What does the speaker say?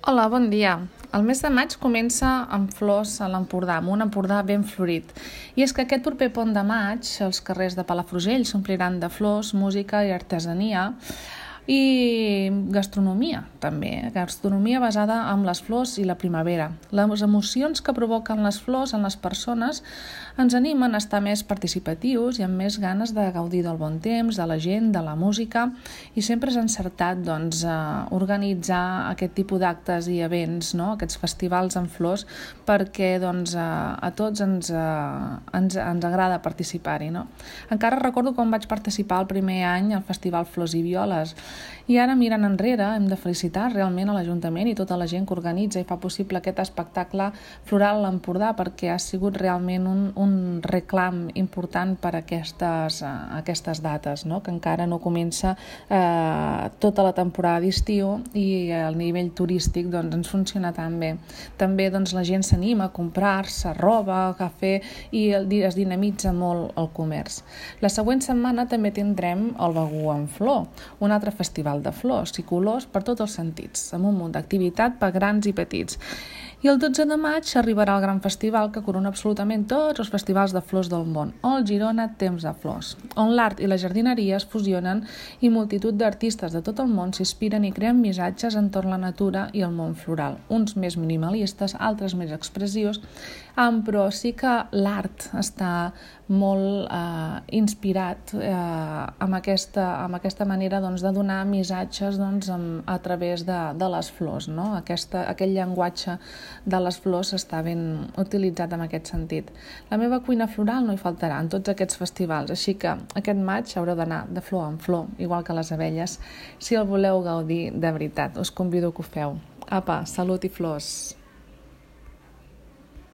Hola, bon dia. El mes de maig comença amb flors a l'Empordà, amb un Empordà ben florit. I és que aquest proper pont de maig, els carrers de Palafrugell s'ompliran de flors, música i artesania i gastronomia, també. Gastronomia basada en les flors i la primavera. Les emocions que provoquen les flors en les persones ens animen a estar més participatius i amb més ganes de gaudir del bon temps, de la gent, de la música, i sempre és encertat organitzar aquest tipus d'actes i events, no? Aquests festivals amb flors, perquè a tots ens agrada participar-hi. No? Encara recordo quan vaig participar el primer any al Festival Flors i Violes, i ara, mirant enrere, hem de felicitar realment a l'Ajuntament i tota la gent que organitza i fa possible aquest espectacle floral a l'Empordà, perquè ha sigut realment un reclam important per a aquestes dates, no? Que encara no comença tota la temporada d'estiu i el nivell turístic ens funciona tan bé. També la gent s'anima a comprar-se roba, cafè, i es dinamitza molt el comerç. La següent setmana també tindrem el Begur en Flor, un altre festival de flors i colors per tots els sentits, amb un munt d'activitat per grans i petits. I el 12 de maig arribarà el gran festival que corona absolutament tots els festivals de flors del món, el Girona Temps de Flors, on l'art i la jardineria es fusionen i multitud d'artistes de tot el món s'inspiren i creen missatges entorn la natura i el món floral, uns més minimalistes, altres més expressius, però sí que l'art està molt inspirat amb aquesta manera de donar missatges a través de les flors, no? Aquest llenguatge de les flors està ben utilitzat en aquest sentit. La meva cuina floral no hi faltarà en tots aquests festivals, així que aquest maig haureu d'anar de flor en flor, igual que les abelles. Si el voleu gaudir de veritat, us convido que ho feu. Apa, salut i flors!